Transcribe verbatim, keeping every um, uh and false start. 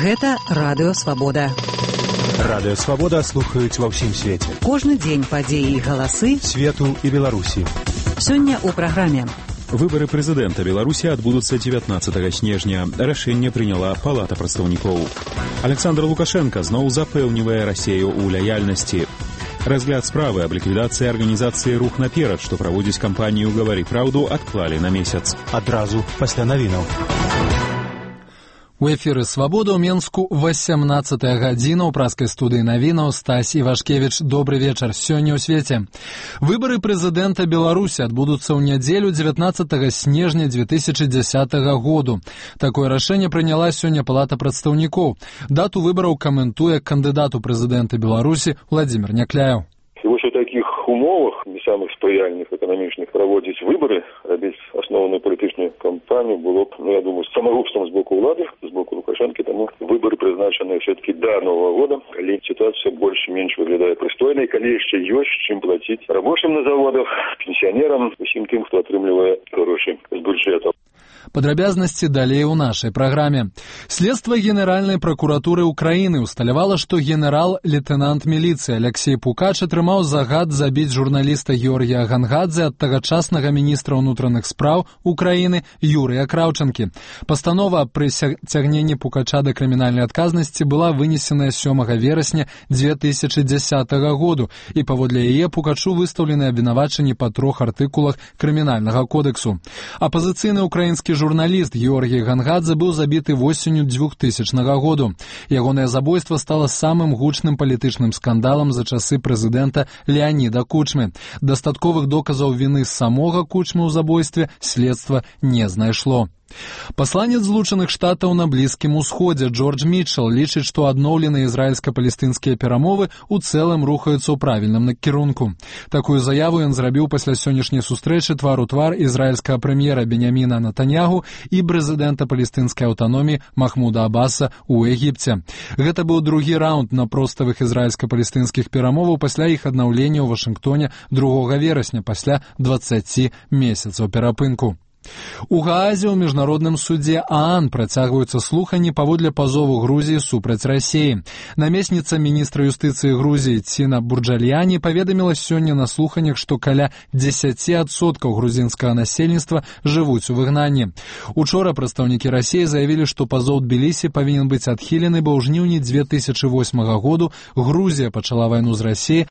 Гэта Радыё Свабода. Радыё Свабода слухаюць ва ўсім свеце. Кожны дзень падзеі і галасы свету і Беларусі. Сёння ў праграме. Выборы прэзідэнта Беларусі адбудуцца дзевятнаццатага снежня. Рашэнне прыняла Палата прадстаўнікоў. Александр Лукашенко зноў запэўнівае Расею ў лаяльнасці. Разгляд справы аб ліквідацыі арганізацыі «Рух наперад», што праводзіць кампанію «Гавары праўду», адклалі на месяц. Адразу пасля навінаў. У эфіры «Свабода» ў Менску васямнаццатая гадзіна. У праскай студыі навінаў Стась Івашкевіч. Добры вечар. Сёння ў свеце. Выбары прэзідэнта Беларусі адбудуцца ў нядзелю дзевятнаццатага снежня дзве тысячы дзесятага году. Такое рашэнне прыняла сёння Палата прадстаўнікоў. Дату выбараў каментуе кандыдат у прэзідэнты Беларусі Владзімір Някляеў. І вось у такіх умовах, не самых спрыяльных эканамічных, праводзіць выбары, рабіць асноўную палітычную кампанію было б, ну, я думаю, самагубствам з боку ўлады, з боку Лукашэнкі, таму выбары прызначаныя все-таки да Нового года, калі сітуацыя больш-менш выглядае прыстойнай, калі яшчэ ёсць чым плаціць рабочым на заводах, пенсіянерам, усім тым, хто атрымлівае грошы з бюджэту. Падрабязнасці далей у нашай праграме. Следства Генеральнай пракуратуры Украіны усталявала, што генерал-лейтенант міліцыі Алексей Пукач атрымаў загад забіць журналіста Георгія Гангадзе ад тагачаснага міністра ўнутраных спраў Украіны Юрыя Краўчанкі. Пастанова пры цягненні Пукача да крымінальнай адказнасці была вынесеная сёмага верасня дзве тысячы дзесятага году, і паводле яе Пукачу выстаўлены абвінавачанні па трох артыкулах крымінальнага кодэксу. Апазіцыйны украінскі журналіст Георгій Гангадзе быў забіты восенню двухтысячнага году. Ягонае забойства стала самым гучным палітычным скандалам за часы прэзідэнта Леаніда Кучмы. Дастатковых доказаў віны самога Кучмы ў забойстве следства не знайшло. Пасланец Злучаных Штатаў на Блізкім Усходзе Джордж Мітчел лічыць, што адноўленыя ізраільска-палестынскія перамовы ў цэлым рухаюцца ў правільным накірунку. Такую заяву ён зрабіў пасля сённяшняй сустрэчы твар у твар ізраільскага прэм'ера Беняміна Натаньягу і прэзідэнта палестынскай аўтаноміі Махмуда Аббаса ў Егіпце. Гэта быў другі раунд напроставых ізраільска-палестынскіх перамоваў пасля іх аднаўлення ў Вашынгтоне другога верасня пасля дваццаці месяцаў перапынку. У Гаазе ў міжнародным судзе ААН працягваюцца слуханні паводле пазову Грузіі супраць Расеі. Намесніца міністра юстыцыі Грузіі Ціна Бурджальяні паведаміла сёння на слуханнях, што каля дзесяці адсоткаў грузінскага насельніцтва жывуць у выгнанні. Учора прадстаўнікі Расеі заявілі, што пазоў Тбілісі павінен быць адхілены, бо ў жніўні дзве тысячы восьмага году Грузія пачала вайну з Расеяй